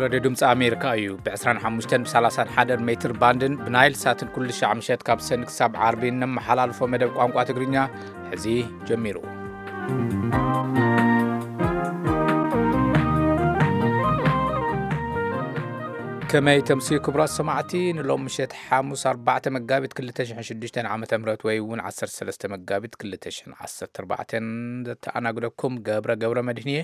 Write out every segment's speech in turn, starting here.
ሬድዮ ድምፂ ኣሜሪካ እዩ። ብ ዕስራን ሓሙሽተን ብ ሰላሳን ሓደን ሜትር ባንድን ብናይል ሳትን ኩሉ ሻዕ ምሸት ካብ ሰኒ ክሳብ ዓርቢ እነመሓላልፎ መደብ ቋንቋ ትግርኛ ሕዚ ጀሚሩ። ከመይ ተምስዩ ክቡራት ሰማዕቲ፣ ንሎም ምሸት ሓሙስ ኣርባዕተ መጋቢት ክልተ ሽሕን ሽዱሽተን ዓመተ ምህረት ወይ እውን ዓሰርተ ሰለስተ መጋቢት ክልተ ሽሕን ዓሰርተ ኣርባዕተን ዘተኣናግደኩም ገብረ ገብረ መድህን እየ።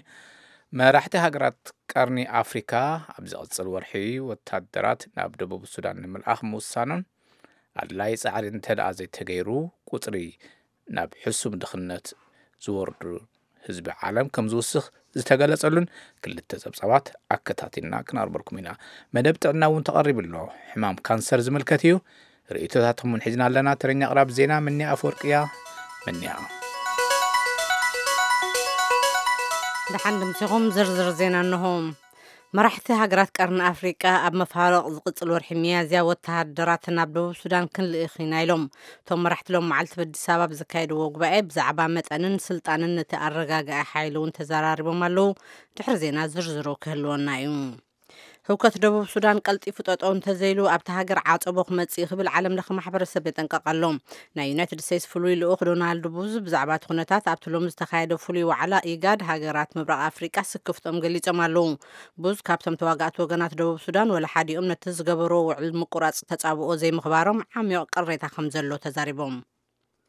መራሕቲ ሃገራት ቀርኒ ኣፍሪካ ኣብ ዝቕጽል ወርሒ ወታደራት ናብ ደቡብ ሱዳን ንምልኣኽ ምውሳኖን ኣድላይ ጻዕሪ እንተ ደኣ ዘይተገይሩ ቁጽሪ ናብ ሕሱም ድኽነት ዝወርዱ ህዝቢ ዓለም ከም ዝውስኽ ዝተገለጸሉን ክልተ ጸብጻባት ኣከታቲልና ክነቕርበልኩም ኢና። መደብ ጥዕና እውን ተቐሪቡ ኣሎ። ሕማም ካንሰር ዝምልከት እዩ። ርእይቶታትኩም እውን ሒዝና ኣለና። ተረኛ ኣቕራብ ዜና ምንያ ኣፈወርቅያ። ምንያ። ደሓን ድምሲኹም ዝርዝር ዜና እንሆ። መራሕቲ ሃገራት ቀርኒ ኣፍሪቃ ኣብ መፋርቕ ዝቕጽል ወርሒ ሚያዝያ ወተሃደራት ናብ ደቡብ ሱዳን ክንልእኽ ኢና ኢሎም። እቶም መራሕቲ ሎም መዓልቲ በዲስ ኣበባ ብዘካየድዎ ጉባኤ ብዛዕባ መጠንን ስልጣንን ነቲ ኣረጋጋኢ ሓይሊ እውን ተዘራሪቦም ኣለዉ። ድሕሪ ዜና ዝርዝሩ ክህልወና እዩ። ህውከት ደቡብ ሱዳን ቀልጢፉ ጠጠው እንተዘይሉ ኣብቲ ሃገር ዓጸቦ ክመጽእ እዩ ክብል ዓለም ለኸ ማሕበረሰብ የጠንቀቕ ኣሎ። ናይ ዩናይትድ ስቴትስ ፍሉይ ልኡኽ ዶናልድ ቡዝ ብዛዕባ እቲ ኩነታት ኣብቲ ሎሚ ዝተኻየደ ፍሉይ ዋዕላ ኢጋድ ሃገራት ምብራቕ ኣፍሪቃ ስክፍቶም ገሊጾም ኣለዉ። ቡዝ ካብቶም ተዋጋእቲ ወገናት ደቡብ ሱዳን ወላ ሓዲኦም ነቲ ዝገበርዎ ውዕል ምቁራጽ ተጻብኦ ዘይምኽባሮም ዓሚቕ ቅሬታ ከም ዘሎ ተዛሪቦም።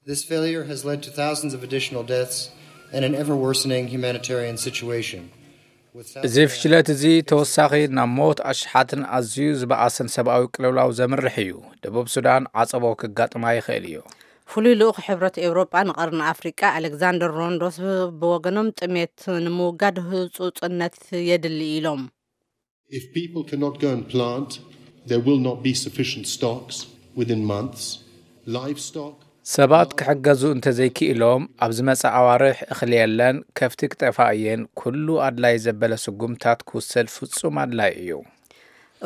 This failure has led to thousands of additional deaths and an ever worsening humanitarian situation. With South እዚ Sudan ፍሽለት እዚ ተወሳኺ ናብ ሞት ኣሽሓትን ኣዝዩ ዝበኣሰን ሰብኣዊ ቅልውላው ዘምርሕ እዩ። ደቡብ ሱዳን ዓጸቦ ክጋጥማ ይኽእል እዩ። ፍሉይ ልኡኽ ሕብረት ኤውሮጳ ንቐርኒ ኣፍሪቃ ኣሌክዛንደር ሮንዶስ ብወገኖም ጥሜት ንምውጋድ ህጹጽነት የድሊ ኢሎም። If people cannot go and plant, there will not be sufficient stocks within months. Livestock ሰባት ክሕገዙ እንተዘይክኢሎም ኣብ ዝመጽእ ኣዋርሕ እኽሊ የለን፣ ከፍቲ ክጠፋ እየን። ኩሉ ኣድላይ ዘበለ ስጉምታት ክውሰድ ፍጹም ኣድላይ እዩ።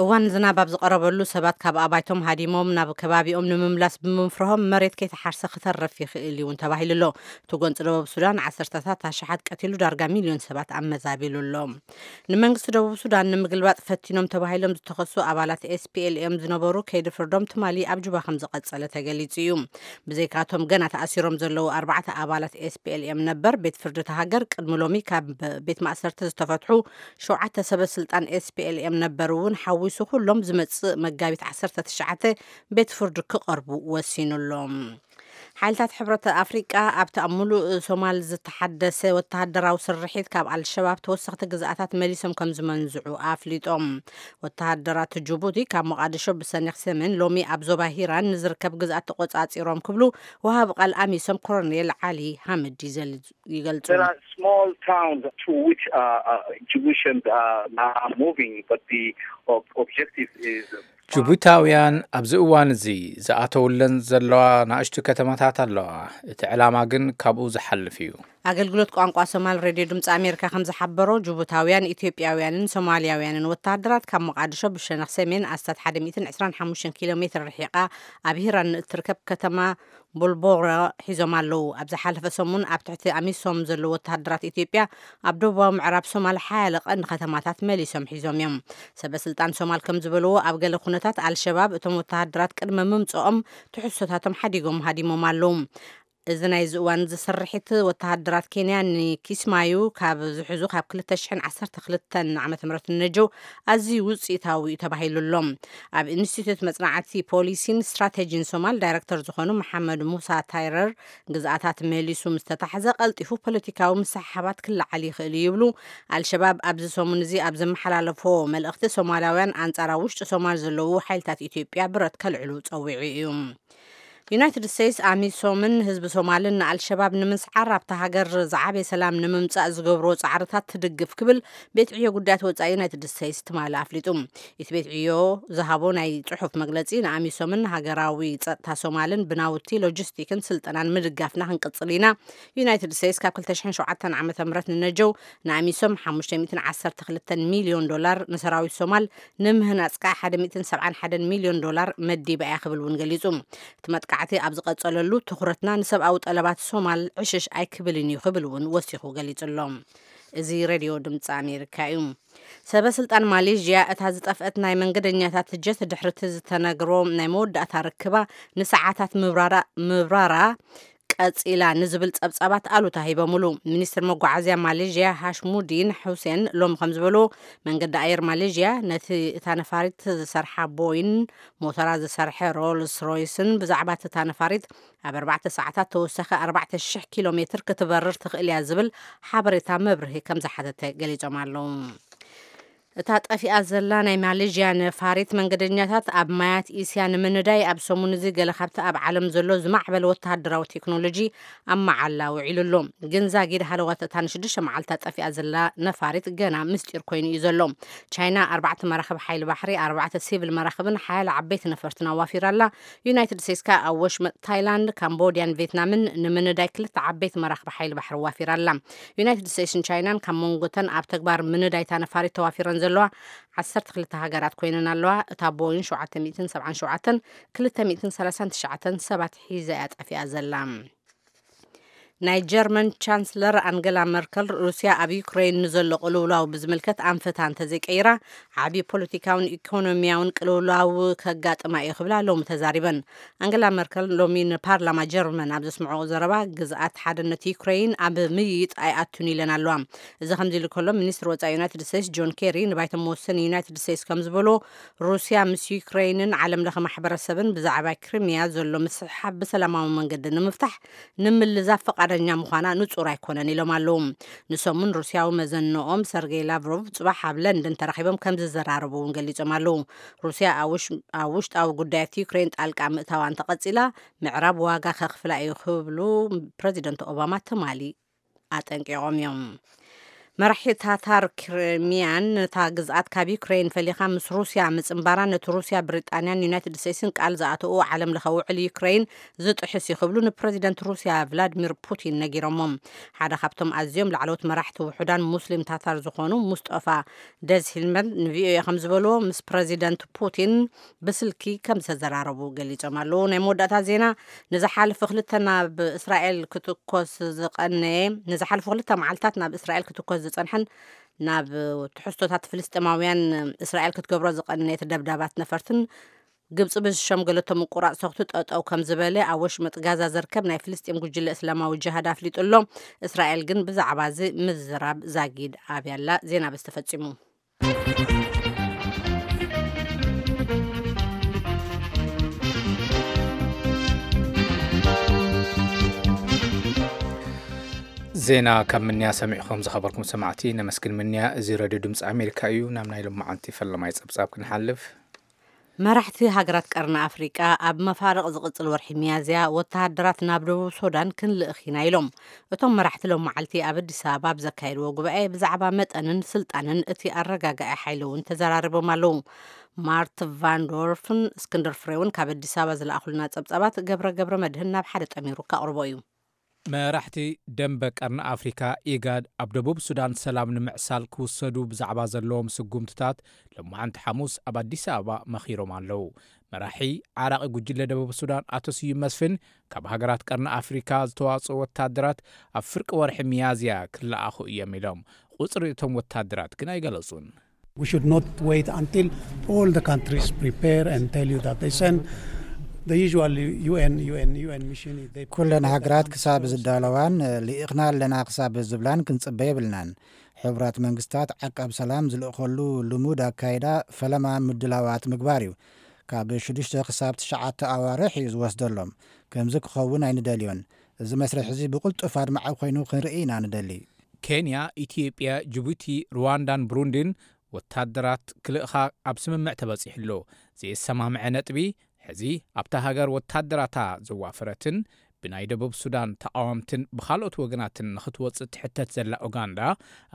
እዋን ዝናብ ኣብ ዝቐረበሉ ሰባት ካብ ኣባይቶም ሃዲሞም ናብ ከባቢኦም ንምምላስ ብምፍርሆም መሬት ከይተሓርሰ ክተርፍ ይኽእል እዩ እውን ተባሂሉ ኣሎ። እቲ ጎንፂ ደቡብ ሱዳን ዓሰርተታት ኣሽሓት ቀቲሉ ዳርጋ ሚልዮን ሰባት ኣመዛቢሉ ኣሎ። ንመንግስቲ ደቡብ ሱዳን ንምግልባጥ ፈቲኖም ተባሂሎም ዝተኸሱ ኣባላት ኤስፒኤልኤም ዝነበሩ ከይዲ ፍርዶም ትማሊ ኣብ ጁባ ከም ዝቐጸለ ተገሊጹ እዩ። ብዘይካቶም ገና ተኣሲሮም ዘለዉ ኣርባዕተ ኣባላት ኤስፒኤልኤም ነበር ቤት ፍርዲ እታ ሃገር ቅድሚ ሎሚ ካብ ቤት ማእሰርቲ ዝተፈትሑ ሸውዓተ ሰበ ስልጣን ኤስፒኤልኤም ነበር እውን ሓዊሱ ኩሎም ዝመጽእ መጋቢት ዓሰርተ ትሽዓተ ቤት ፍርዲ ክቐርቡ ወሲኑ ኣሎ። ሓይልታት ሕብረት ኣፍሪቃ ኣብቲ ኣብ ሙሉእ ሶማል ዝተሓደሰ ወተሃደራዊ ስርሒት ካብ ኣልሸባብ ተወሰኽቲ ግዝኣታት መሊሶም ከም ዝመንዝዑ ኣፍሊጦም። ወተሃደራት ጅቡቲ ካብ ሞቓድሾ ብሰኒኽ ሰሜን ሎሚ ኣብ ዞባ ሂራን ንዝርከብ ግዝኣት ተቆጻጺሮም ክብሉ ወሃቢ ቃል ኣሚሶም ኮሎኔል ዓሊ ሃምድ ይዘል-፣ ይገልጹ። There are small towns to which, uh, uh, Djiboutians are, are moving, but the ob-, objective is ጅቡታውያን ኣብዚ እዋን እዚ ዝኣተውለን ዘለዋ ናእሽቱ ከተማታት ኣለዋ። እቲ ዕላማ ግን ካብኡ ዝሓልፍ እዩ። ኣገልግሎት ቋንቋ ሶማል ሬድዮ ድምፂ ኣሜሪካ ከም ዝሓበሮ፣ ጅቡታውያን፣ ኢትዮጵያውያንን ሶማልያውያንን ወተሃደራት ካብ ሞቓድሾ ብሸነኽ ሰሜን ኣስታት ሓደ ሚእትን ዕስራን ሓሙሽተን ኪሎ ሜትር ርሒቓ ኣብ ሂራን እትርከብ ከተማ ቡልቦረ ሒዞም ኣለዉ። ኣብ ዝሓለፈ ሰሙን ኣብ ትሕቲ ኣሚሶም ዘለዉ ወተሃደራት ኢትዮጵያ ኣብ ደቡባዊ ምዕራብ ሶማል ሓያለ ቀንዲ ከተማታት መሊሶም ሒዞም እዮም። ሰበ ስልጣን ሶማል ከም ዝበልዎ፣ ኣብ ገለ ኩነታት ኣልሸባብ እቶም ወተሃደራት ቅድሚ ምምጽኦም ትሕዝቶታቶም ሓዲጎም ሃዲሞም ኣለዉ። እዚ ናይዚ እዋን እዚ ስርሒት ወተሃደራት ኬንያ ንኪስማዩ ካብ ዝሕዙ ካብ ክልተ ሽሕን ዓሰርተ ክልተን ዓመተ ምህረት ንነጀው ኣዝዩ ውጽኢታዊ እዩ ተባሂሉ ኣሎ። ኣብ ኢንስቲትዩት መጽናዕቲ ፖሊሲን ስትራቴጂን ሶማል ዳይረክተር ዝኾኑ መሓመድ ሙሳ ታይረር፣ ግዝኣታት መሊሱ ምስ ተታሕዘ ቀልጢፉ ፖለቲካዊ ምስሕሓባት ክለዓል ይኽእል እዩ ይብሉ። ኣልሸባብ ኣብዚ ሰሙን እዚ ኣብ ዘመሓላለፎ መልእኽቲ፣ ሶማላውያን ኣንጻር ኣብ ውሽጢ ሶማል ዘለዉ ሓይልታት ኢትዮጵያ ብረት ከልዕሉ ጸዊዑ እዩ። ዩናይትድ ስቴትስ ኣሚሶምን ህዝቢ ሶማልን ንኣልሸባብ ንምስዓር ኣብታ ሃገር ዝዓበየ ሰላም ንምምጻእ ዝገብርዎ ጻዕርታት ትድግፍ ክብል ቤት ዕዮ ጉዳያት ወጻኢ ዩናይትድ ስቴትስ ትማሊ ኣፍሊጡ። እቲ ቤት ዕዮ ዝሃቦ ናይ ጽሑፍ መግለጺ፣ ንኣሚሶምን ሃገራዊ ጸጥታ ሶማልን ብናውቲ፣ ሎጂስቲክን ስልጠናን ምድጋፍና ክንቅጽል ኢና። ዩናይትድ ስቴትስ ካብ ክልተ ሽሕን ሸውዓተን ዓመተ ምህረት ንነጀው ንኣሚሶም ሓሙሽተ ሚእትን ዓሰርተ ክልተን ሚልዮን ዶላር፣ ንሰራዊት ሶማል ንምህናጽ ከኣ ሓደ ሚእትን ሰብዓን ሓደን ሚልዮን ዶላር መዲባ እያ ክብል እውን ገሊጹ። እቲ መጥቃዕቲ ኣብ ዝቐጸለሉ፣ ትኹረትና ንሰብኣዊ ጠለባት ሶማል ዕሽሽ ኣይክብልን እዩ ክብል እውን ወሲኹ ገሊጹ ኣሎ። እዚ ሬድዮ ድምፂ ኣሜሪካ እዩ። ሰበ ስልጣን ማሌዥያ እታ ዝጠፍአት ናይ መንገደኛታት ጀት ድሕርቲ ዝተነግሮ ናይ መወዳእታ ርክባ ንሰዓታት ምብራራ ምብራራ ቀጺላ ንዝብል ጸብጻባት ኣሉታ ሂቦምሉ። ሚኒስትር መጓዓዝያ ማሌዥያ ሃሽሙዲን ሁሴን ሎም ከም ዝበሉ፣ መንገዲ ኣየር ማሌዥያ ነቲ እታ ነፋሪት ዝሰርሓ ቦይን ሞተራ ዝሰርሐ ሮልስ ሮይስን ብዛዕባ እታ ነፋሪት ኣብ ኣርባዕተ ሰዓታት ተወሳኺ ኣርባዕተ ሽሕ ኪሎ ሜትር ክትበርር ትኽእል እያ ዝብል ሓበሬታ መብርሂ ከም ዝሓተተ ገሊጾም ኣለዉ። እታ ጠፊኣ ዘላ ናይ ማሌዥያ ነፋሪት መንገደኛታት ኣብ ማያት እስያ ንምንዳይ ኣብ ሰሙን እዚ ገለ ካብቲ ኣብ ዓለም ዘሎ ዝማዕበለ ወተሃደራዊ ቴክኖሎጂ ኣብ መዓላ ውዒሉ ኣሎ። ግን ዛጊድ ሃለዋት እታ ንሽዱሽተ መዓልታት ጠፊኣ ዘላ ነፋሪት ገና ምስጢር ኮይኑ እዩ ዘሎ። ቻይና ኣርባዕተ መራኽብ ሓይሊ ባሕሪ፣ ኣርባዕተ ሲቪል መራኽብን ሓያለ ዓበይቲ ነፈርትን ኣዋፊራ ኣላ። ዩናይትድ ስቴትስ ከኣ ኣብ ወሽመጥ ታይላንድ፣ ካምቦድያን ቬትናምን ንምንዳይ ክልተ ዓበይቲ መራኽብ ሓይሊ ባሕሪ ኣዋፊራ ኣላ። ዩናይትድ ስቴትስን ቻይናን ካብ መንጎተን ኣብ ተግባር ምንዳይታ ነፋሪት ተዋፊረን ዘለዋ ዓሰርተ ክልተ ሃገራት ኮይነን ኣለዋ። እታ ቦይን ሸውዓተ ሚእትን ሰብዓን ሸውዓተን ክልተ ሚእትን ሰላሳን ትሽዓተን ሰባት ሒዛ እያ ጠፊኣ ዘላ። ናይ ጀርመን ቻንስለር ኣንገላ መርከል፣ ሩስያ ኣብ ዩክሬን ንዘሎ ቅልውላው ብዝምልከት ኣንፈታ እንተዘይቀይራ፣ ዓቢ ፖለቲካውን ኢኮኖሚያውን ቅልውላው ከጋጥማ እዩ ክብላ ሎሚ ተዛሪበን። ኣንገላ መርከል ሎሚ ንፓርላማ ጀርመን ኣብ ዘስምዖ ዘረባ፣ ግዝኣት ሓድነት ዩክሬን ኣብ ምይይጥ ኣይኣቱን ኢለን ኣለዋ። እዚ ከምዚ ኢሉ ከሎ፣ ሚኒስትር ወጻኢ ዩናይትድ ስቴትስ ጆን ኬሪ ንባይቶ መወሰኒ ዩናይትድ ስቴትስ ከም ዝበሎ፣ ሩስያ ምስ ዩክሬንን ዓለም ለኸ ማሕበረሰብን ብዛዕባ ክሪሚያ ዘሎ ምስሕሓብ ብሰላማዊ መንገዲ ንምፍታሕ ንምልዛብ ፈቓደኛ ምዃና ንጹር ኣይኮነን ኢሎም ኣለዉ። ንሰሙን ሩስያዊ መዘንኦም ሰርጌይ ላቭሮቭ ጽባሕ ኣብ ለንደን ተራኺቦም ከም ዝዘራረቡ እውን ገሊጾም ኣለዉ። ሩስያ ኣብ ውሽ-፣ ኣብ ውሽጣዊ ጉዳያት ዩክሬን ጣልቃ ምእታዋ እንተቐጺላ፣ ምዕራብ ዋጋ ከኽፍላ እዩ ክብሉ ፕረዚደንት ኦባማ ትማሊ ኣጠንቂቖም እዮም። መራሒ ታታር ክሪሚያን ነታ ግዝኣት ካብ ዩክሬን ፈሊኻ ምስ ሩስያ ምጽንባራ ነቲ ሩስያ፣ ብሪጣንያን ዩናይትድ ስቴትስን ቃል ዝኣተኡ ዓለም ለኸ ውዕል ዩክሬን ዝጥሕስ እዩ ክብሉ ንፕረዚደንት ሩስያ ቭላድሚር ፑቲን ነጊሮሞም። ሓደ ካብቶም ኣዝዮም ላዕለዎት መራሕቲ ውሑዳን ሙስሊም ታታር ዝኾኑ ሙስጠፋ ደዝሂልመን ንቪኦኤ ከም ዝበልዎ፣ ምስ ፕረዚደንት ፑቲን ብስልኪ ከም ዝተዘራረቡ ገሊጾም ኣለዉ። ናይ መወዳእታ ዜና፣ ንዝሓለፈ ክልተ ናብ እስራኤል ክትኮስ ዝቐነየ ንዝሓለፈ ክልተ መዓልታት ናብ እስራኤል ክትኮስ ዝጸንሐን ናብ ትሕዝቶታት ፍልስጤማውያን እስራኤል ክትገብሮ ዝቐነየት ደብዳባት ነፈርትን ግብጺ ብዝሸምገለቶ ምቁራጽ ተኹሲ ጠጠው ከም ዝበለ ኣብ ወሽመጥ ጋዛ ዝርከብ ናይ ፍልስጤም ጉጅለ እስላማዊ ጅሃድ ኣፍሊጡ ኣሎ። እስራኤል ግን ብዛዕባ እዚ ምዝራብ ዛጊድ ኣብያ ኣላ። ዜና በዚ ተፈጺሙ። ዜና ካብ ምንያ ሰሚዕኹም ዝኸበርኩም ሰማዕቲ ነመስግን። ምንያ፣ እዚ ሬድዮ ድምፂ ኣሜሪካ እዩ። ናብ ናይ ሎማዓንቲ ፈለማይ ፀብፃብ ክንሓልፍ። መራሕቲ ሃገራት ቀርኒ ኣፍሪቃ ኣብ መፋርቕ ዝቕጽል ወርሒ ሚያዝያ ወተሃደራት ናብ ደቡብ ሱዳን ክንልእኽ ኢና ኢሎም። እቶም መራሕቲ ሎም መዓልቲ ኣብ ኣዲስ ኣበባ ኣብ ዘካየድዎ ጉባኤ ብዛዕባ መጠንን ስልጣንን እቲ ኣረጋጋኢ ሓይሊ እውን ተዘራሪቦም ኣለዉ። ማርት ቫንዶርፍን እስክንድር ፍሬውን ካብ ኣዲስ ኣበባ ዝለኣኹልና ጸብጻባት ገብረ ገብረ መድህን ናብ ሓደ ጠሚሩ ከቕርቦ እዩ። መራሕቲ ደንበ ቀርኒ ኣፍሪካ ኢጋድ ኣብ ደቡብ ሱዳን ሰላም ንምዕሳል ክውሰዱ ብዛዕባ ዘለዎም ስጉምትታት ሎማዓንቲ ሓሙስ ኣብ ኣዲስ ኣበባ መኺሮም ኣለዉ። መራሒ ዓራቒ ጉጅለ ደቡብ ሱዳን ኣቶ ስዩም መስፍን ካብ ሃገራት ቀርኒ ኣፍሪካ ዝተዋፅኡ ወታደራት ኣብ ፍርቂ ወርሒ ሚያዝያ ክለኣኹ እዮም ኢሎም። ቁፅሪ እቶም ወታደራት ግን ኣይገለፁን። We should not wait until all the countries prepare and tell you that they send the usual U N, U N, UN mission. They ኩለን ሃገራት ክሳብ ዝዳለዋን ልኢኽና ኣለና ክሳብ ዝብላን ክንጽበ የብልናን። ሕቡራት መንግስታት ዓቃብ ሰላም ዝልእኸሉ ልሙድ ኣካይዳ ፈለማ ምድላዋት ምግባር እዩ። ካብ ሽዱሽተ ክሳብ ትሽዓተ ኣዋርሕ እዩ ዝወስደሎም። ከምዚ ክኸውን ኣይንደልዮን። እዚ መስርሕ እዚ ብቕልጡፍ ኣድማዒ ኮይኑ ክንርኢ ኢና ንደሊ። ኬንያ፣ ኢትዮጵያ፣ ጅቡቲ፣ ሩዋንዳን ብሩንዲን ወታደራት ክልእኻ ኣብ ስምምዕ ተበጺሑ ኣሎ። ዘየሰማምዐ ነጥቢ፣ ሕዚ ኣብታ ሃገር ወታደራታ ዘዋፈረትን ብናይ ደቡብ ሱዳን ተቓወምትን ብኻልኦት ወገናትን ንኽትወጽእ ትሕተት ዘላ ኡጋንዳ፣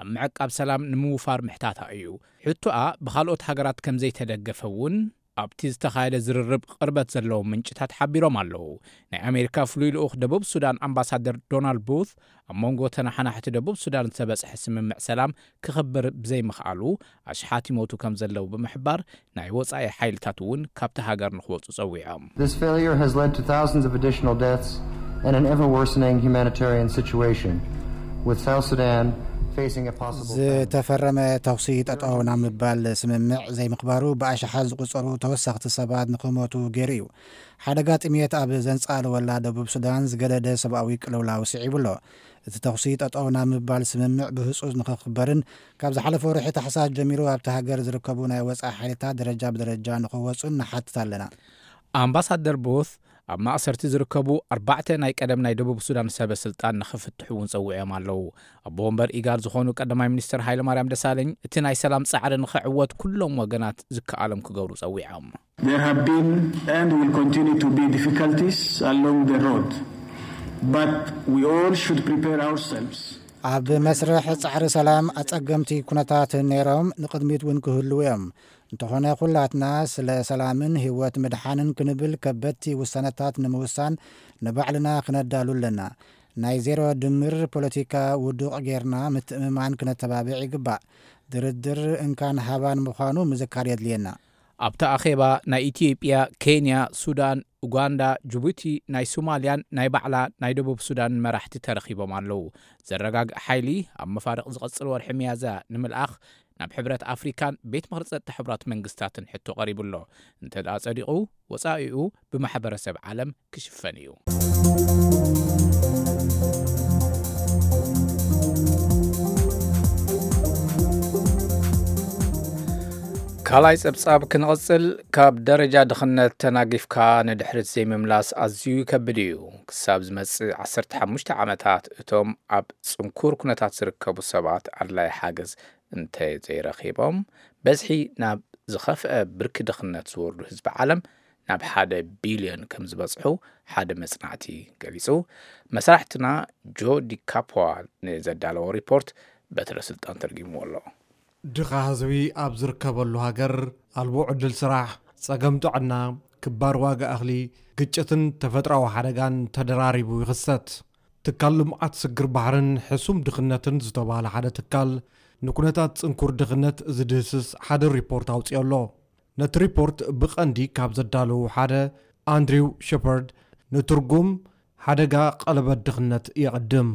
ኣብ ምዕቃብ ሰላም ንምውፋር ምሕታታ እዩ። ሕቶኣ ብኻልኦት ሃገራት ከም ዘይተደገፈ እውን ኣብቲ ዝተኻየደ ዝርርብ ቅርበት ዘለዎም ምንጭታት ሓቢሮም ኣለዉ። ናይ ኣሜሪካ ፍሉይ ልኡኽ ደቡብ ሱዳን ኣምባሳደር ዶናልድ ቡት፣ ኣብ መንጎ ተነሓናሕቲ ደቡብ ሱዳን ዝተበጽሐ ስምምዕ ሰላም ክኽብር ብዘይምኽኣሉ ኣሽሓት ይሞቱ ከም ዘለዉ ብምሕባር፣ ናይ ወጻኢ ሓይልታት እውን ካብቲ ሃገር ንኽወጹ ጸዊዖም። This failure has led to thousands of additional deaths and an ever worsening humanitarian situation, with South Sudan ዝተፈረመ ተኹሲ ጠጠው ናብ ምባል ስምምዕ ዘይምኽባሩ ብኣሽሓት ዝቑጸሩ ተወሰኽቲ ሰባት ንኽሞቱ ገይሩ እዩ። ሓደጋ ጥሜት ኣብ ዘንጻለወላ ደቡብ ሱዳን ዝገደደ ሰብኣዊ ቅልውላው ስዒቡ ኣሎ። እቲ ተኹሲ ጠጠው ናብ ምባል ስምምዕ ብህጹጽ ንኽኽበርን ካብ ዝሓለፈ ወርሒ ታሕሳስ ጀሚሩ ኣብቲ ሃገር ዝርከቡ ናይ ወጻኢ ሓይልታት ደረጃ ብደረጃ ንኽወጹን ንሓትት ኣለና። ኣምባሳደር ቦት ኣብ ማእሰርቲ ዝርከቡ ኣርባዕተ ናይ ቀደም ናይ ደቡብ ሱዳን ሰበ ስልጣን ንኽፍትሑ እውን ጸዊዖም ኣለዉ። ኣቦ ወንበር ኢጋድ ዝኾኑ ቀዳማይ ሚኒስትር ሃይለማርያም ደሳለኝ እቲ ናይ ሰላም ጻዕሪ ንኽዕወት ኩሎም ወገናት ዝከኣሎም ክገብሩ ጸዊዖም። There have been and will continue to be difficulties along the road, but we all should prepare ourselves. ኣብ መስርሕ ጻዕሪ ሰላም ኣጸገምቲ ኩነታት ነይሮም፣ ንቕድሚት እውን ክህልዉ እዮም። እንተኾነ ኩላትና ስለ ሰላምን ህይወት ምድሓንን ክንብል ከበድቲ ውሳነታት ንምውሳን ንባዕልና ክነዳሉ ኣለና። ናይ ዜሮ ድምር ፖለቲካ ውዱቕ ጌርና ምትእምማን ክነተባብዕ ይግባእ። ድርድር እንካን ሃባን ምዃኑ ምዝካር የድልየና። ኣብቲ ኣኼባ ናይ ኢትዮጵያ፣ ኬንያ፣ ሱዳን፣ ኡጋንዳ፣ ጅቡቲ፣ ናይ ሶማልያን ናይ ባዕላ ናይ ደቡብ ሱዳን መራሕቲ ተረኺቦም ኣለዉ። ዘረጋግእ ሓይሊ ኣብ መፋርቕ ዝቐጽል ወርሒ ሚያዝያ ንምልኣኽ ናብ ሕብረት ኣፍሪካን ቤት ምኽሪ ጸጥታ ሕቡራት መንግስታትን ሕቶ ቀሪቡ ኣሎ። እንተ ደኣ ጸዲቑ፣ ወጻኢኡ ብማሕበረሰብ ዓለም ክሽፈን እዩ። ካልኣይ ጸብጻብ ክንቕጽል፣ ካብ ደረጃ ድኽነት ተናጊፍካ ንድሕሪት ዘይምምላስ ኣዝዩ ይከብድ እዩ። ክሳብ ዝመጽእ ዓሰርተ ሓሙሽተ ዓመታት እቶም ኣብ ጽንኩር ኩነታት ዝርከቡ ሰባት ኣድላይ ሓገዝ እንተ ዘይረኺቦም፣ በዝሒ ናብ ዝኸፍአ ብርኪ ድኽነት ዝወርዱ ህዝቢ ዓለም ናብ ሓደ ቢልዮን ከም ዝበጽሑ ሓደ መጽናዕቲ ገሊጹ። መሳርሕትና ጆ ዲካፖዋ ንዘዳለዎ ሪፖርት በትረ ስልጣን ተርጊምዎ ኣሎ። ድኻ ህዝቢ ኣብ ዝርከበሉ ሃገር፣ ኣልቦ ዕድል ስራሕ፣ ጸገም ጥዕና፣ ክባር ዋጋ እኽሊ፣ ግጭትን ተፈጥሮኣዊ ሓደጋን ተደራሪቡ ይኽሰት። ትካል ልምዓት ስግር ባሕርን ሕሱም ድኽነትን ዝተባህለ ሓደ ትካል፣ ንኩነታት ጽንኩር ድኽነት ዝድህስስ ሓደ ሪፖርት ኣውጺኦ ኣሎ። ነቲ ሪፖርት ብቐንዲ ካብ ዘዳለዉ ሓደ፣ ኣንድሪው ሸፐርድ፣ ንትርጉም ሓደጋ ቀለበት ድኽነት የቐድም።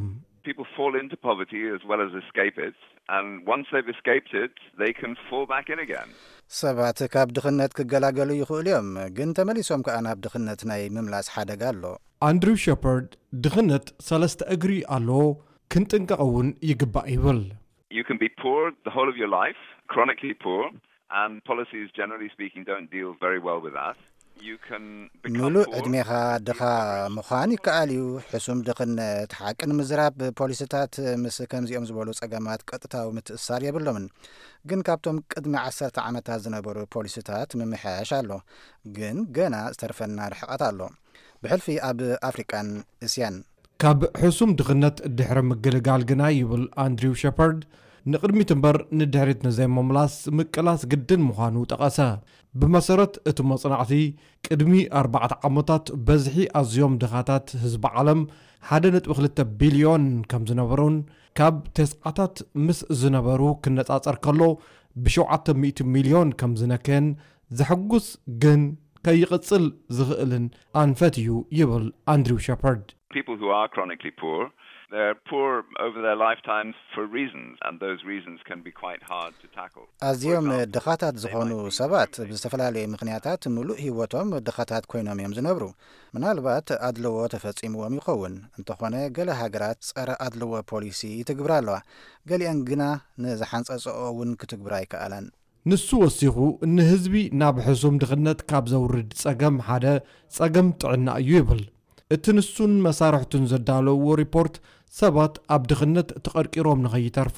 People fall into poverty as well as escape it, and once they've escaped it, they can fall back in again. ሰባት ካብ ድኽነት ክገላገሉ ይኽእሉ እዮም፣ ግን ተመሊሶም ከኣ ናብ ድኽነት ናይ ምምላስ ሓደጋ ኣሎ። ኣንድሪው ሸፐርድ፣ ድኽነት ሰለስተ እግሪ ኣለዎ፣ ክንጥንቀቕ እውን ይግባእ ይብል። You can be poor the whole of your life, chronically poor, and policies, generally speaking, don't deal very well with that. You can become ምሉእ poor ዕድሜኻ if you ድኻ have a ምዃን ይከኣል እዩ። ሕሱም ድኽነት፣ ሓቂ ንምዝራብ፣ ፖሊሲታት ምስ ከምዚኦም ዝበሉ ጸገማት ቀጥታዊ ምትእስሳር የብሎምን። ግን ካብቶም ቅድሚ ዓሰርተ ዓመታት ዝነበሩ ፖሊሲታት ምምሕያሽ ኣሎ። ግን ገና ዝተርፈና ርሕቀት ኣሎ። ብሕልፊ ኣብ ኣፍሪቃን እስያን። ካብ ሕሱም ድኽነት ድሕሪ ምግልጋል ግና፣ ይብል ኣንድሪው ሸፐርድ፣ ንቕድሚት እምበር ንድሕሪት ንዘይምምላስ ምቅላስ ግድን ምዃኑ ጠቐሰ። ብመሰረት እቲ መጽናዕቲ፣ ቅድሚ ኣርባዕተ ዓመታት በዝሒ ኣዝዮም ድኻታት ህዝቢ ዓለም ሓደ ነጥቢ ክልተ ቢልዮን ከም ዝነበሩን፣ ካብ ተስዓታት ምስ ዝነበሩ ክነጻጸር ከሎ፣ ብሸውዓተ ሚእቲ ሚልዮን ከም ዝነከየን፣ ዘሐጉስ ግን ከይቕጽል ዝኽእልን ኣንፈት እዩ፣ ይብል ኣንድሪው ሸፐርድ። People who are chronically poor, they're poor over their lifetimes for reasons, and those reasons can be quite hard to tackle. ኣዝዮም ድኻታት ዝኾኑ ሰባት ብዝተፈላለዩ ምኽንያታት ምሉእ ህይወቶም ድኻታት ኮይኖም እዮም ዝነብሩ። ምናልባት ኣድልዎ ተፈጺምዎም ይኸውን። እንተኾነ፣ ገለ ሃገራት ጸረ ኣድልዎ ፖሊሲ ይትግብራ ኣለዋ። ገሊአን ግና ንዝሓንጸጸኦ እውን ክትግብራ ኣይከኣላን። ንሱ ወሲኹ፣ ንህዝቢ ናብ ሕሱም ድኽነት ካብ ዘውርድ ጸገም ሓደ ጸገም ጥዕና እዩ ይብል። እቲ ንሱን መሳርሕቱን ዘዳለውዎ ሪፖርት፣ ሰባት ኣብ ድኽነት ተቐርቂሮም ንኸይተርፉ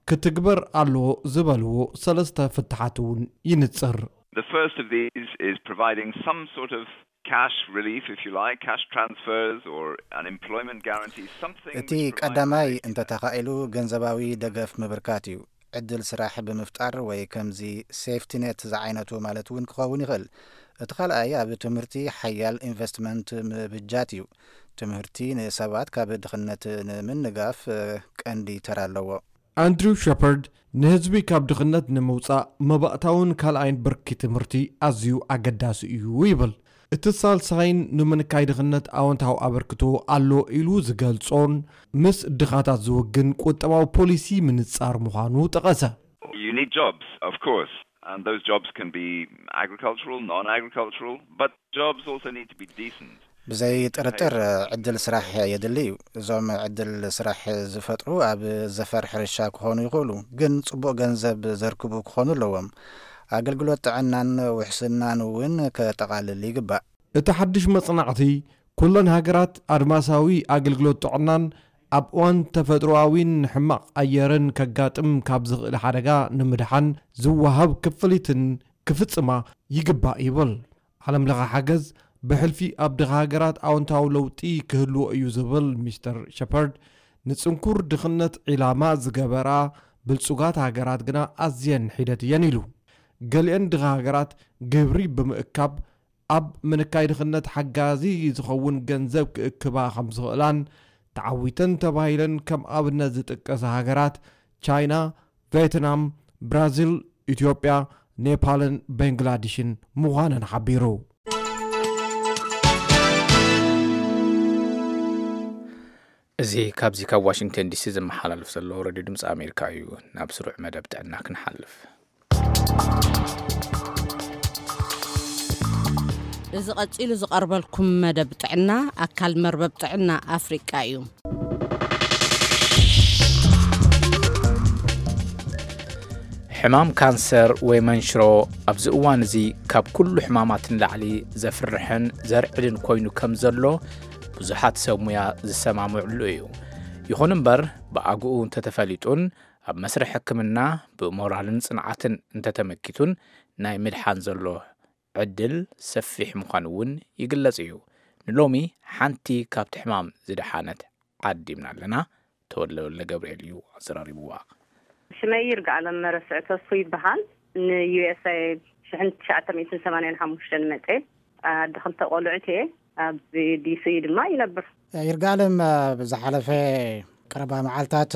ክትግበር ኣለዎ ዝበልዎ ሰለስተ ፍታሓት እውን ይንጽር። The first of these is providing some sort of cash relief, if you like, cash transfers or an employment guarantee, something እቲ which provides ቀዳማይ safety net. እንተተኻኢሉ ገንዘባዊ ደገፍ ምብርካት እዩ። ዕድል ስራሕ ብምፍጣር ወይ ከምዚ ሴፍቲ ኔት ዝዓይነቱ ማለት እውን ክኸውን ይኽእል። እቲ ካልኣይ ኣብ ትምህርቲ ሓያል ኢንቨስትመንት ምብጃት እዩ። ትምህርቲ ንሰባት ካብ ድኽነት ንምንጋፍ ቀንዲ ተራ ኣለዎ። ኣንድሪው ሸፐርድ ንህዝቢ ካብ ድኽነት ንምውጻእ መባእታውን ካልኣይን ብርኪ ትምህርቲ ኣዝዩ ኣገዳሲ እዩ ይብል። እቲ ሳልሳይን ንምንካይ ድኽነት ኣወንታዊ ኣበርክቶ ኣሎ ኢሉ ዝገልጾን ምስ ድኻታት ዝውግን ቁጠባዊ ፖሊሲ ምንጻር ምዃኑ ጠቐሰ። You need jobs, of course, and those jobs can be agricultural, non-agricultural, but jobs also need to be decent. ብዘይ ጥርጥር ዕድል ስራሕ የድሊ እዩ። እዞም ዕድል ስራሕ ዝፈጥሩ ኣብ ዘፈር ሕርሻ ክኾኑ ይኽእሉ፣ ግን ጽቡቕ ገንዘብ ዘርክቡ ክኾኑ ኣለዎም። ኣገልግሎት ጥዕናን ውሕስናን እውን ከጠቓልል ይግባእ። እቲ ሓድሽ መጽናዕቲ፣ ኩለን ሃገራት ኣድማሳዊ ኣገልግሎት ጥዕናን ኣብ እዋን ተፈጥሮኣዊን ሕማቕ ኣየርን ከጋጥም ካብ ዝኽእል ሓደጋ ንምድሓን ዝወሃብ ክፍሊትን ክፍጽማ ይግባእ ይብል። ዓለም ለኸ ሓገዝ ብሕልፊ ኣብ ድኻ ሃገራት ኣወንታዊ ለውጢ ክህልዎ እዩ ዝብል ሚስተር ሸፐርድ፣ ንጽንኩር ድኽነት ዒላማ ዝገበራ ብልጹጋት ሃገራት ግና ኣዝየን ሒደት እየን ኢሉ። ገሊአን ድኻ ሃገራት ግብሪ ብምእካብ ኣብ ምንካይ ድኽነት ሓጋዚ ዝኸውን ገንዘብ ክእክባ ከም ዝኽእላን ተዓዊተን ተባሂለን ከም ኣብነት ዝጥቀሳ ሃገራት ቻይና፣ ቬትናም፣ ብራዚል፣ ኢትዮጵያ፣ ኔፓልን ቤንግላዲሽን ምዃነን ሓቢሩ። እዚ ካብዚ ካብ ዋሽንግተን ዲሲ ዝመሓላለፍ ዘሎ ሬድዮ ድምፂ ኣሜሪካ እዩ። ናብ ስሩዕ መደብ ጥዕና ክንሓልፍ። እዚ ቀጺሉ ዝቐርበልኩም መደብ ጥዕና ኣካል መርበብ ጥዕና ኣፍሪቃ እዩ። ሕማም ካንሰር ወይ መንሽሮ ኣብዚ እዋን እዚ ካብ ኩሉ ሕማማት ንላዕሊ ዘፍርሕን ዘርዕድን ኮይኑ ከም ዘሎ ብዙሓት ሰብ ሙያ ዝሰማምዕሉ እዩ። ይኹን እምበር ብኣግኡ እንተተፈሊጡን ኣብ መስርሕ ሕክምና ብሞራልን ጽንዓትን እንተተመኪቱን ናይ ምድሓን ዘሎ ዕድል ሰፊሕ ምዃኑ እውን ይግለጽ እዩ። ንሎሚ ሓንቲ ካብቲ ሕማም ዝደሓነት ዓዲምና ኣለና። ተወለ ወልደ ገብርኤል እዩ ኣዘራሪብዋ። ሽመይ ይርጋኣለም መረስዕ ተስፉ ይበሃል። ንዩኤስኤ ሽሕን ትሽዓተ ሚእትን ሰማንያን ሓሙሽተን መፅኤ ኣደ ክልተ ቆልዑት እየ። ኣብ ዲሲ ድማ ይነብር። ይርጋለም፣ ብዝሓለፈ ቀረባ መዓልታት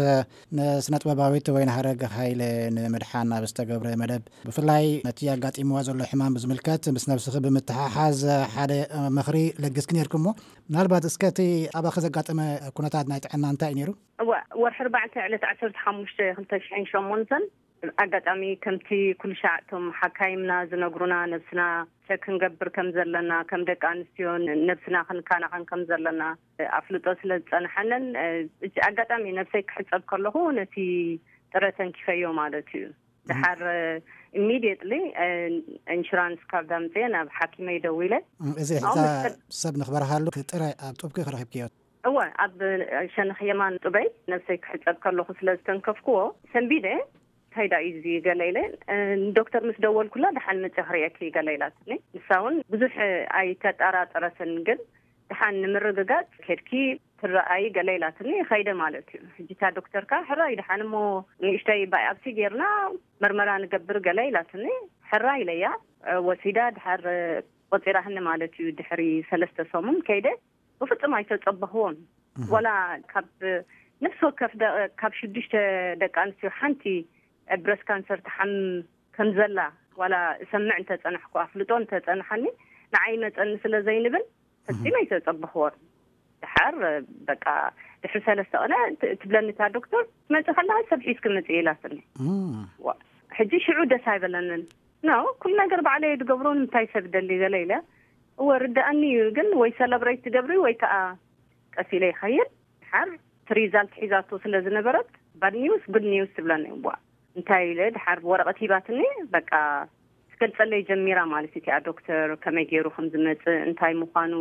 ንስነጥበባዊት ወይን ሃረግ ሃይለ ንምድሓን ኣብ ዝተገብረ መደብ፣ ብፍላይ ነቲ ኣጋጢምዋ ዘሎ ሕማም ብዝምልከት ምስ ነብስኺ ብምትሓሓዝ ሓደ ምኽሪ ለግስኪ ነይርኪ እሞ፣ ምናልባት እስከ እቲ ኣባኺ ዘጋጠመ ኩነታት ናይ ጥዕና እንታይ እዩ ነይሩ? እዋ፣ ወርሒ ኣርባዕተ ዕለት ዓሰርተ ሓሙሽተ ክልተ ሽሕን ሸሞንተን ኣጋጣሚ ከምቲ ኩሉ ሻዕ እቶም ሓካይምና ዝነግሩና ነብስና ቸክ ክንገብር ከም ዘለና፣ ከም ደቂ ኣንስትዮ ነብስና ክንከናኸን ከም ዘለና ኣፍልጦ ስለ ዝጸንሓንን፣ እቲ ኣጋጣሚ ነብሰይ ክሕጸብ ከለኹ ነቲ ጥረ ተንኪፈዮ ማለት እዩ። ደሓር ኢሚድየትሊ ኢንሹራንስ ካርድ ኣምፅየ ናብ ሓኪመይ ደዊለ። እዚ ሕዛ ሰብ ንኽበርሃሉ ጥረ ኣብ ጡብኪ ክረኺብክዮ? እወ፣ ኣብ ሸነኽ የማን ጡበይ ነብሰይ ክሕጸብ ከለኹ ስለ ዝተንከፍክዎ ሰንቢደ። እንታይ ዳ እዩ እዚ ገለ ኢለ ንዶክተር ምስ ደወልኩላ፣ ደሓን መጽያ ክርእየኪ ገለ ኢላትኒ። ንሳ እውን ብዙሕ ኣይተጠራጠረትን፣ ግን ደሓን ንምርግጋጽ ኬድኪ ትረኣይ ገለ ኢላትኒ። ኸይደ ማለት እዩ። ሕጂ እታ ዶክተር ከኣ ሕራይ ደሓን እሞ ንእሽተይ ባይኣብሲ ጌርና መርመራ ንገብር ገለ ኢላትኒ። ሕራይ ኢለያ። ወሲዳ ድሓር ቆጺራህኒ ማለት እዩ። ድሕሪ ሰለስተ ሰሙን ከይደ። ብፍጹም ኣይተጸበኽዎን። ዋላ ካብ ነፍሲ ወከፍ ደ- ካብ ሽዱሽተ ደቂ ኣንስትዮ ሓንቲ ብረስ ካንሰር ትሓምም ከም ዘላ ዋላ እሰምዕ እንተጸናሕኩ፣ ኣፍልጦ እንተጸንሓኒ፣ ንዓይ መጸኒ ስለ ዘይንብል ፈጺመ ኣይተጸበኽዎን። ድሓር በቃ ድሕሪ ሰለስተ ቀነ ት- ትብለኒ እታ ዶክተር፣ ትመጺ ከለኻ ሰብ ሒዝኪ ምጺ ኢላትኒ። ዋ፣ ሕጂ ሽዑ ደስ ኣይበለንን። ኖ፣ ኩሉ ነገር ባዕለይ እየ ዝገብሮ፣ ንምንታይ ሰብ ደሊ ገለ ኢለ። እወ ርድኣኒ እዩ፣ ግን ወይ ሰለብሬት ትገብሪ ወይ ከዓ ቀስ ኢለ ይኸይድ። ድሓር እቲ ሪዛልት ሒዛቶ ስለ ዝነበረት ባድ ኒውስ ጉድ ኒውስ ትብለኒ። እዋ፣ እንታይ ኢለ ድሓር ወረቐት ሂባትኒ። በቃ ትገልጸለይ ጀሚራ ማለት እዩ እቲኣ ዶክተር፣ ከመይ ገይሩ ከም ዝመጽእ፣ እንታይ ምዃኑ።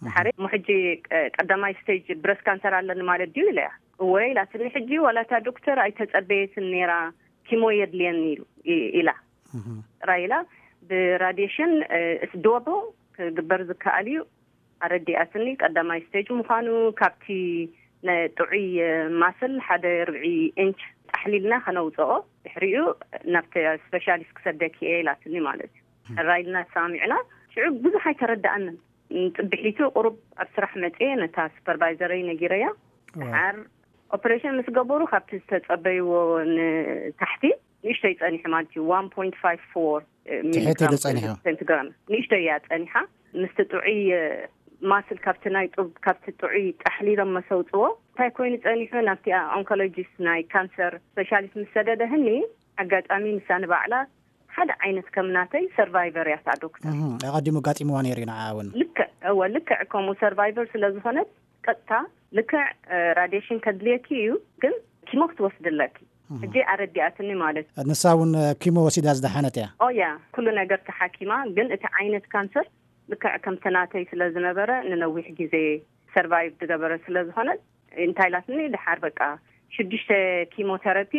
ድሓር እሞ ሕጂ ቀ- ቀዳማይ ስቴጅ ብረስ ካንሰር ኣለኒ ማለት ድዩ ኢለያ። እወ ኢላትኒ። ሕጂ ዋላ እታ ዶክተር ኣይተጸበየትን ነይራ፣ ኪሞ የድልየኒ ኢሉ ኢ- ኢላ ጥራይ ኢላ። ብራዲሽን እስ ዶብል ክግበር ዝከኣል እዩ ኣረዲኣትኒ። ቀዳማይ ስቴጅ ምዃኑ፣ ካብቲ ነ- ጥዑይ ማስል ሓደ ርብዒ ኢንች ጣሕሊልና ከነውፅኦ፣ ድሕሪኡ ናብቲ ስፔሻሊስት ክሰደኪ እየ ኢላትኒ ማለት እዩ። ሕራይ ኢልና ተሰማሚዕና። ሽዑ ብዙሕ ኣይተረድኣንን። ንፅብሒቱ ቁሩብ ኣብ ስራሕ መፅየ፣ ነታ ሱፐርቫይዘረይ ነጊረያ። ድሓር ኦፕሬሽን ምስ ገበሩ፣ ካብቲ ዝተፀበይዎ ንታሕቲ ንእሽተይ ፀኒሑ ማለት እዩ። ዋን ፖይንት ፋይቭ ፎር ትሕት ኢሉ ሚሊግራም ጸኒሑ። ሴንቲግራም ንእሽተይ እያ ጸኒሓ። ምስቲ ጥዑይ ማስል ካብቲ ናይ ጡብ ካብቲ ጥዑይ ጣሕሊሎም መሰውፅዎ እንታይ ኮይኑ ፀኒሑ ናብቲ ኦንኮሎጂስት ናይ ካንሰር ስፔሻሊስት ምስ ሰደደህኒ፣ ኣጋጣሚ ንሳ ንባዕላ ሓደ ዓይነት ከም ናተይ ሰርቫይቨር እያ እታ ዶክተር። ኣቐዲሙ ኣጋጢምዋ ነይሩ እዩ ንዓ እውን። ልክዕ እወ ልክዕ ከምኡ ሰርቫይቨር ስለ ዝኾነት ቀጥታ ልክዕ ራዲሽን ከድልየኪ እዩ፣ ግን ኪሞ ክትወስድለኪ ሕጂ ኣረዲኣትኒ ማለት እዩ። ንሳ እውን ኪሞ ወሲዳ ዝደሓነት እያ። ኦያ ኩሉ ነገር ተሓኪማ፣ ግን እቲ ዓይነት ካንሰር ልክዕ ከምቲ ናተይ ስለ ዝነበረ ንነዊሕ ግዜ ሰርቫይቭ ዝገበረ ስለ ዝኾነ እንታይ ኢላትኒ፣ ድሓር በቃ ሽዱሽተ ኪሞቴራፒ፣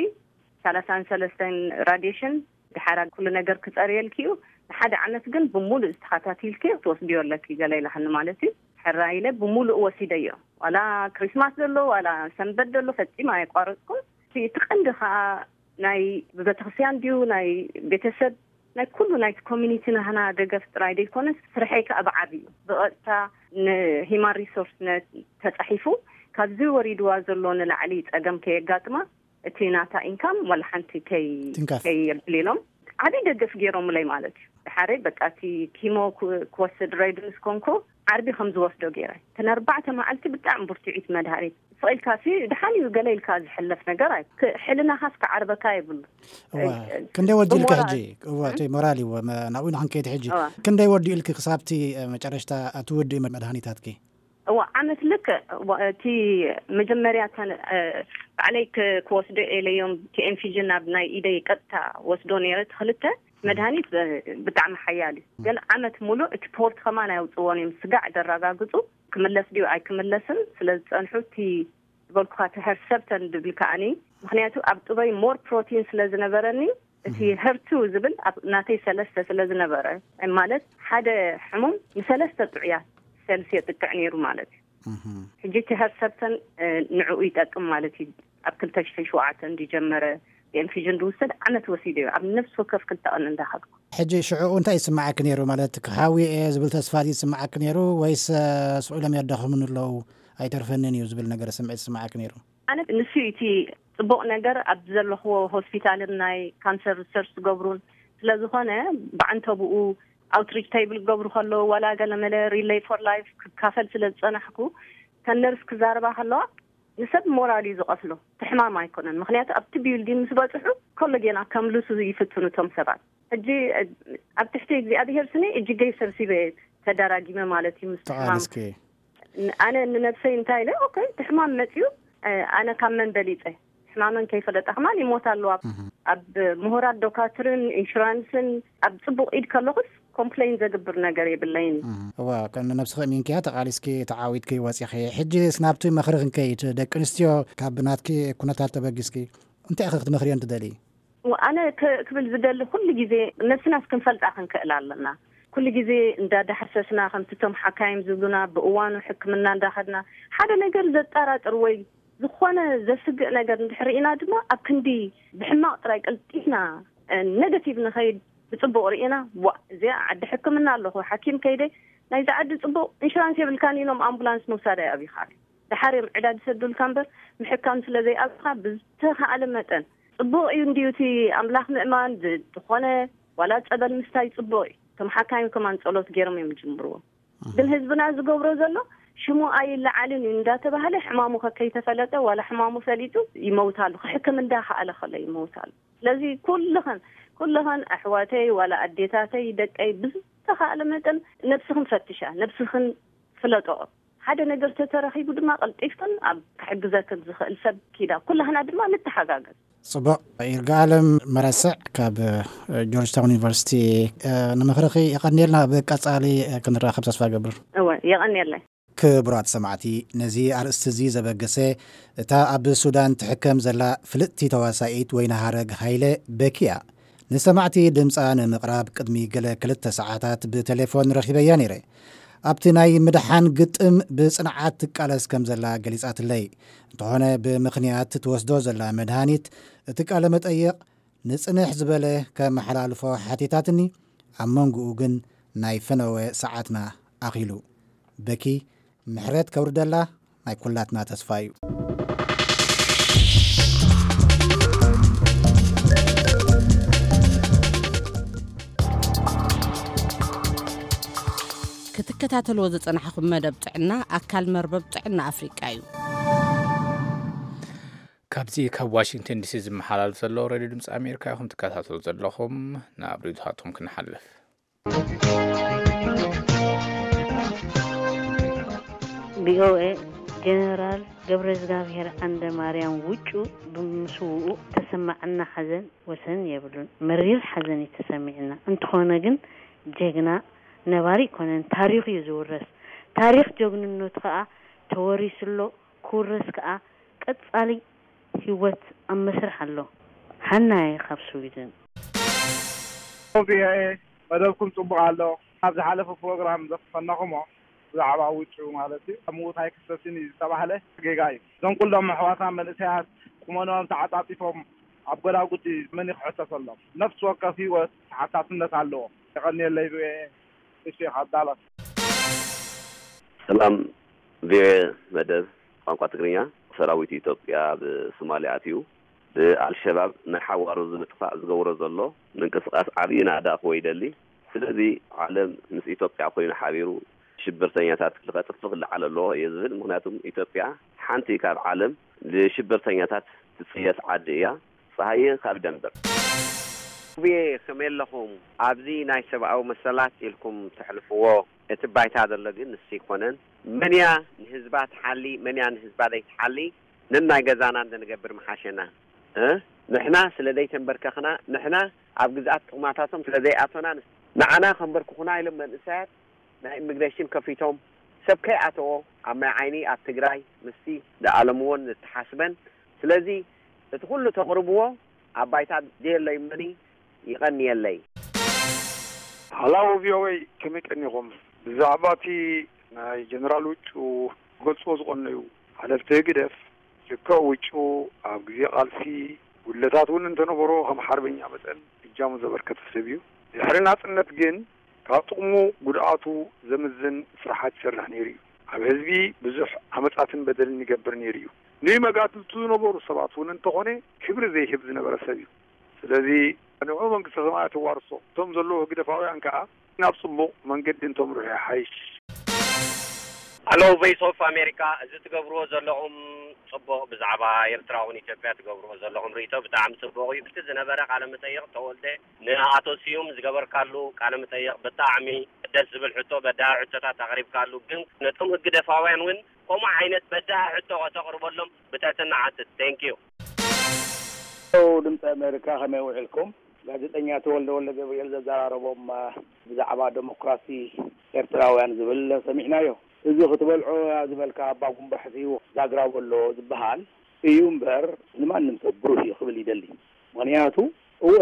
ሰላሳን ሰለስተን ራዲሽን፣ ድሓር ኩሉ ነገር ክፀርየልኪ እዩ፣ ንሓደ ዓመት ግን ብሙሉእ ዝተኸታቲልኪ ክትወስድዮ ኣለኪ ገለ ኢላትኒ ማለት እዩ። ሕራይ ኢለ ብሙሉእ ወሲደዮ። ዋላ ክሪስማስ ዘሎ ዋላ ሰንበት ዘሎ ፈፂመ ኣየቋረፅኩን። እቲ ቀንዲ ከዓ ናይ ብቤተክርስትያን ድዩ ናይ ቤተሰብ ናይ ኩሉ ናይቲ ኮሚኒቲ ናህና ደገፍ ጥራይ ዘይኮነስ ስርሐይ ከዓ ብዓብዩ ብቐጥታ ንሂማን ሪሶርስ ተፃሒፉ ካብዚ ወሪድዋ ዘሎ ንላዕሊ ፀገም ከየጋጥማ እቲ ናታ ኢንካም ዋላ ሓንቲ ከይየብል ኢሎም ዓብይ ደገፍ ገይሮምለይ ማለት እዩ። ድሓረይ በቃ እቲ ኪሞ ክወስድ ሬዲ ምስ ኮንኩ ዓርቢ ከም ዝወስዶ ገይረ። እተን ኣርባዕተ መዓልቲ ብጣዕሚ ብርቱዒት መድሃኒት ስቕ ኢልካ ሲ ድሓን እዩ ገለ ኢልካ ዝሕለፍ ነገር ኣይ ሕልናኻስ ክዓርበካ የብሉ። እዋ ክንደይ ወዲ ኢልካ ሕጂ? እዋ እቲ ሞራል እዩ ናብኡ ንክንከይድ ሕጂ ክንደይ ወዲ ኢልክ ክሳብቲ መጨረሽታ እቲ ውዲ መድሃኒታትኪ? እዋ ዓመት ልክ እቲ መጀመርያ ባዕለይ ክወስዶ ኤለዮም ቲኤንፊጂ ናብ ናይ ኢደይ ቀጥታ ወስዶ ነይረ። ክልተ መድሃኒት ብጣዕሚ ሓያል እዩ፣ ግን ዓመት ሙሉእ እቲ ፖርት ከማን ኣየውፅዎን እዮም። ስጋዕ ዘረጋግፁ ክምለስ ድዩ ኣይክምለስን ስለ ዝፀንሑ እቲ ዝበልኩካ እቲ ሄርሰብተን ድብል ከዓኒ ምክንያቱ ኣብ ጥበይ ሞር ፕሮቲን ስለ ዝነበረኒ እቲ ሄርቱ ዝብል ኣብ ናተይ ሰለስተ ስለ ዝነበረ ማለት ሓደ ሕሙም ንሰለስተ ጥዑያት ሰልስ የጥቅዕ ነይሩ ማለት እዩ። ሕጂ እቲ ሄርሰብተን ንዕኡ ይጠቅም ማለት እዩ። ኣብ ክልተ ሽሕን ሸውዓተን ዝጀመረ ኢንፊዥን ዝውሰድ ዓመት ወሲዱ እዩ ኣብ ነፍሲ ወከፍ ክልተ ቀን እንዳኸድኩ። ሕጂ ሽዕኡ እንታይ ይስምዓኪ ነይሩ? ማለት ክሓዊ እየ ዝብል ተስፋ ይስምዓኪ ነይሩ ወይስ ስቕ ኢሎም የዳኽሙኒ ኣለዉ ኣይተርፈንን እዩ ዝብል ነገር ስምዒት ይስምዓኪ ነይሩ? ኣነ ንሱ እቲ ፅቡቕ ነገር ኣብ ዘለኽዎ ሆስፒታልን ናይ ካንሰር ሪሰርች ዝገብሩን ስለዝኾነ ብዓንተብኡ ኣውትሪች ቴብል ክገብሩ ከለዉ ዋላ ገለመለ ሪሌይ ፎር ላይፍ ክካፈል ስለ ዝፀናሕኩ ከነርስ ክዛረባ ከለዋ ንሰብ ሞራል እዩ ዝቐትሎ። ትሕማም ኣይኮነን ምክንያቱ ኣብቲ ቢልዲን ምስ በፅሑ ከሎ ጌና ከምልሱ ይፍትኑ እቶም ሰባት። ሕጂ ኣብ ትሕቲ እግዚኣብሄር ስኒ እጅገይ ሰብሲበ ተዳራጊመ ማለት እዩ ምስ ትሕማም። ኣነ ንነብሰይ እንታይ ኢለ ኦኬ ትሕማም መፅዩ ኣነ ካብ መን በሊፀ ሕማመን ከይፈለጣ ከማን ይሞት ኣለዋ። ኣብ ምሁራት ዶካትርን ኢንሹራንስን ኣብ ፅቡቕ ኢድ ከለኹስ ኮምፕሌን ዘግብር ነገር የብለይን። እዋ ከም ነብስኺ እሚንክያ ተቓሊስኪ ተዓዊትኪ ወፂኺ ሕጂ ስናብቲ ምኽሪ ክንከይድ ደቂ ኣንስትዮ ካብ ናትኪ ኩነታት ተበጊስኪ እንታይ ኢኺ ክትመኽርዮን ትደሊ? ኣነ ክብል ዝደሊ ኩሉ ግዜ ነብስናስ ክንፈልጣ ክንክእል ኣለና። ኩሉ ግዜ እንዳዳሕሰስና ከምቲ ቶም ሓካይም ዝብሉና ብእዋኑ ሕክምና እንዳኸድና ሓደ ነገር ዘጠራጥር ወይ ዝኾነ ዘስግእ ነገር እንድሕር ርኢና ድማ ኣብ ክንዲ ብሕማቕ ጥራይ ቀልጢፍና ነገቲቭ ንኸይድ ብፅቡቕ ርኢና ዋ እዚኣ ዓዲ ሕክምና ኣለኹ ሓኪም ከይደ ናይዚ ዓዲ ፅቡቕ ኢንሹራንስ የብልካን ኢሎም ኣምቡላንስ ምውሳድ ኣይኣብይኻን። ድሓር እዮም ዕዳ ዝሰዱልካ እምበር ምሕካም ስለ ዘይኣብኻ ብዝተኻኣለ መጠን ፅቡቕ እዩ እንድዩ እቲ ኣምላኽ ምእማን ዝኾነ ዋላ ፀበል ምስታይ ፅቡቕ እዩ። ከም ሓካይም ከማን ፀሎት ገይሮም እዮም ዝጅምርዎ። ግን ህዝብና ዝገብሮ ዘሎ ሽሙ ኣይለዓልን እዩ እንዳተባሃለ ሕማሙ ከከይተፈለጠ ዋላ ሕማሙ ፈሊጡ ይመውታሉ ክሕክም እንዳኸኣለ ከሎ ይመውታሉ። ስለዚ ኩልኽን ኩልኽን ኣሕዋተይ ዋላ ኣዴታተይ ደቀይ ብዝተኻእለ መጠን ነብስኽን ፈትሻ ነብስኽን ፍለጦኦ። ሓደ ነገር ተተረኺቡ ድማ ቀልጢፍክን ኣብ ክሕግዘክን ዝኽእል ሰብ ኪዳ ኩላህና ድማ ንተሓጋገዝ። ጽቡቕ። ይርጋለም መረስዕ ካብ ጆርጅ ታውን ዩኒቨርሲቲ ንምኽርኺ የቐንየልና። ብቀጻሊ ክንራኸብ ተስፋ ገብር። እወ የቐንየለይ። ክቡራት ሰማዕቲ፣ ነዚ ኣርእስቲ እዚ ዘበገሰ እታ ኣብ ሱዳን ትሕከም ዘላ ፍልጥቲ ተዋሳኢት ወይኒ ሃረግ ሃይለ በኪያ ንሰማዕቲ ድምጻ ንምቕራብ ቅድሚ ገለ ክልተ ሰዓታት ብቴሌፎን ረኺበያ ነይረ። ኣብቲ ናይ ምድሓን ግጥም ብጽንዓት ትቃለስ ከም ዘላ ገሊጻትለይ። እንተኾነ ብምኽንያት ትወስዶ ዘላ መድሃኒት እቲ ቃለ መጠይቕ ንጽንሕ ዝበለ ከመሓላልፎ ሓቲታትኒ፣ ኣብ መንጎኡ ግን ናይ ፈነወ ሰዓትና ኣኺሉ። በኪ ምሕረት ከውርደላ ናይ ኩላትና ተስፋ እዩ። ትከታተልዎ ዝጸናሕኹም መደብ ጥዕና ኣካል መርበብ ጥዕና ኣፍሪቃ እዩ። ካብዚ ካብ ዋሽንግተን ዲሲ ዝመሓላልፍ ዘሎ ሬድዮ ድምፂ ኣሜሪካ ኢኹም ትከታተሉ ዘለኹም። ናብ ሪፖርታቶም ክንሓልፍ። ቪኦኤ፣ ጀነራል ገብረ እግዚኣብሔር ዓንደ ማርያም ውጩ ብምስውኡ ተሰማዓና ሓዘን ወሰን የብሉን። መሪር ሓዘን እዩ ተሰሚዕና። እንተኾነ ግን ጀግና ነባሪ ኣይኮነን፣ ታሪኽ እዩ ዝውረስ። ታሪኽ ጀግንነቱ ከዓ ተወሪሱ ኣሎ፣ ክውረስ ከዓ ቀፃሊ ህይወት ኣብ መስርሕ ኣሎ። ሃናየ ካብ ስዊድን። ቪኦኤ፣ መደብኩም ፅቡቕ ኣሎ። ኣብ ዝሓለፈ ፕሮግራም ዘፈናኹሞ ብዛዕባ ውጩ ማለት እዩ፣ ኣብ ምዉት ኣይክሰስን እዩ ዝተባህለ ጌጋ እዩ። እዞም ኩሎም ኣሕዋትና መንእሰያት ቁመንኦም ተዓፃፂፎም ኣብ ጎዳጉዲ መን እዩ ክሕሰሰሎም? ነፍሲ ወከፍ ህይወት ተሓታትነት ኣለዎ። የቐንየለይ ቪኦኤ። እሺ፣ ካብ ዳላስ። ሰላም ቪኦኤ መደብ ቋንቋ ትግርኛ። ሰራዊት ኢትዮጵያ ኣብ ሶማልያ ኣትዩ ብኣልሸባብ ንሓዋሩ ንምጥፋእ ዝገብሮ ዘሎ ምንቅስቓስ ዓብዪ ናእዳ ክወ ይደሊ። ስለዚ ዓለም ምስ ኢትዮጵያ ኮይኑ ሓቢሩ ሽብርተኛታት ክቐጥፍ ክለዓል ኣለዎ እየ ዝብል። ምክንያቱም ኢትዮጵያ ሓንቲ ካብ ዓለም ንሽብርተኛታት ትፅየፍ ዓዲ እያ። ፀሃየ ካብ ደንበር። ውብየ ከመይ ኣለኹም? ኣብዚ ናይ ሰብኣዊ መሰላት ኢልኩም ተሕልፍዎ እቲ ባይታ ዘሎ ግን ንሱ ኣይኮነን። መን እያ ንህዝባ ትሓሊ፣ መን እያ ንህዝባ ዘይትሓሊ? ነናይ ገዛና እንተንገብር ምሓሸና። እ? ንሕና ስለ ዘይተንበርከኽና፣ ንሕና ኣብ ግዝኣት ጥቕማታቶም ስለ ዘይኣቶና፣ ንዓና ከንበርክኹና ኢሎም መንእሰያት ናይ ኢሚግሬሽን ከፊቶም ሰብ ከይኣተዎ ኣብ ማይ ዓይኒ ኣብ ትግራይ ምስቲ ዝኣለምዎን ዝተሓስበን። ስለዚ እቲ ኩሉ ተቕርብዎ ኣብ ባይታ ደየለይ መኒ ይቐንየለይ። ሃላው ቪኦኤ ከመይ ቀኒኹም? ብዛዕባ እቲ ናይ ጀነራል ውጩ ክገልፅዎ ዝቐነዩ ሓለፍቲ ህግደፍ ልክዕ ውጩ ኣብ ግዜ ቃልሲ ጉድለታት እውን እንተነበሮ ከም ሓርበኛ መጠን እጃሙ ዘበርከተ ሰብ እዩ። ድሕሪ ናፅነት ግን ካብ ጥቕሙ ጉድኣቱ ዘምዝን ስራሓት ይሰርሕ ነይሩ እዩ። ኣብ ህዝቢ ብዙሕ ዓመፃትን በደልን ይገብር ነይሩ እዩ። ንመጋትልቱ ዝነበሩ ሰባት እውን እንተኾነ ክብሪ ዘይህብ ዝነበረ ሰብ እዩ። ስለዚ ንዑ መንግስተ ሰማያት ይዋርሶ። እቶም ዘለዉ ህግደፋውያን ከዓ ናብ ፅቡቕ መንገዲ እንተምርሑ ይሓይሽ። ኣሎ ቮይስ ኦፍ ኣሜሪካ፣ እዚ ትገብርዎ ዘለኹም ፅቡቕ፣ ብዛዕባ ኤርትራ እውን ኢትዮጵያ ትገብርዎ ዘለኹም ርእይቶ ብጣዕሚ ፅቡቕ እዩ። እቲ ዝነበረ ቃለ መጠይቕ ተወልደ ንኣቶ ስዩም ዝገበርካሉ ቃለ መጠይቕ ብጣዕሚ ደስ ዝብል ሕቶ፣ በዳሂ ሕቶታት ኣቕሪብካሉ። ግን ነቶም ህግደፋውያን እውን ከምኡ ዓይነት በዳሂ ሕቶ ከተቕርበሎም ብትሕትና ሓትት። Thank you። ድምፂ ኣሜሪካ ከመይ ውዒልኩም? ጋዜጠኛ ተወልደ ወልደ ገብርኤል ዘዘራረቦም ብዛዕባ ዴሞክራሲ ኤርትራውያን ዝብል ሰሚዕናዮ። እዚ ክትበልዖ ዝበልካ ኣባ ጉንባሕሲ ዛግራ በሎ ዝበሃል እዩ እምበር ንማንም ሰብ ብሩህ እዩ ክብል ይደሊ። ምኽንያቱ እወ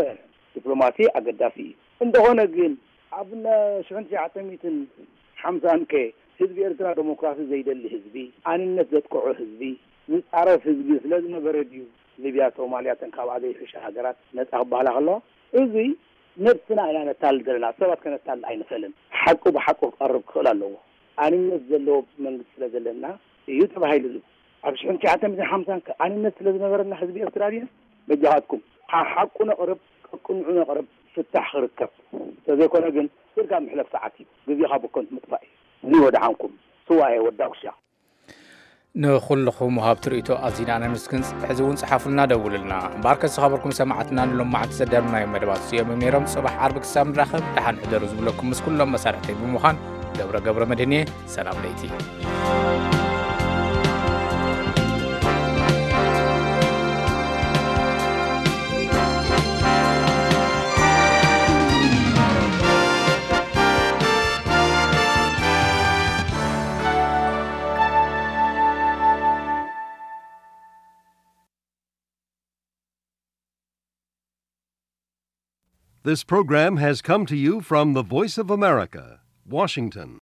ዲፕሎማሲ ኣገዳሲ እዩ። እንተኾነ ግን ኣብ ሽሕን ትሽዓተ ሚእትን ሓምሳን ከ ህዝቢ ኤርትራ ዴሞክራሲ ዘይደሊ ህዝቢ፣ ኣንነት ዘጥቅዖ ህዝቢ፣ ዝጻረፍ ህዝቢ ስለ ዝነበረ ድዩ ሊብያ፣ ሶማልያ እተን ካብኣ ዘይሕሻ ሃገራት ነጻ ክበሃላ ከለዋ? እዚ ነብስና ኢና ነታልል ዘለና፣ ሰባት ከነታልል ኣይንኽእልን። ሓቂ ብሓቂ ክቐርብ ክኽእል ኣለዎ። ኣንነት ዘለዎ መንግስቲ ስለ ዘለና እዩ ተባሂሉ። እዚ ኣብ ሽሕን ትሽዓተ ሚእትን ሓምሳን ከ ኣንነት ስለ ዝነበረና ህዝቢ ኤርትራ ድዩ? በጃኻትኩም ሓሓቁ ነቕርብ፣ ቅንዑ ነቕርብ፣ ፍታሕ ክርከብ። እንተዘይኮነ ግን ስርጋ ምሕለፍ ሰዓት እዩ፣ ግዜኻ ብከንቱ ምጥፋእ እዩ። ንወድሓንኩም ስዋኤ ወዳጉሻ። ንኹልኹም ወሃብቲ ርእይቶ ኣዚና ነመስግን። ሕዚ እውን ጽሓፉልና፣ ደውሉልና። እምበኣርከስ ዝኸበርኩም ሰማዕትና ንሎማዓንቲ ዘዳለናዮም መደባት እዚኦም እዮም ነይሮም። ጽባሕ ዓርቢ ክሳብ ንራኸብ ደሓን ሕደሩ ዝብለኩም ምስ ኩሎም መሳርሕተይ ብምዃን ገብረ ገብረ መድህን እየ። ሰላም ለይቲ። This program has come to you from the Voice of America, Washington.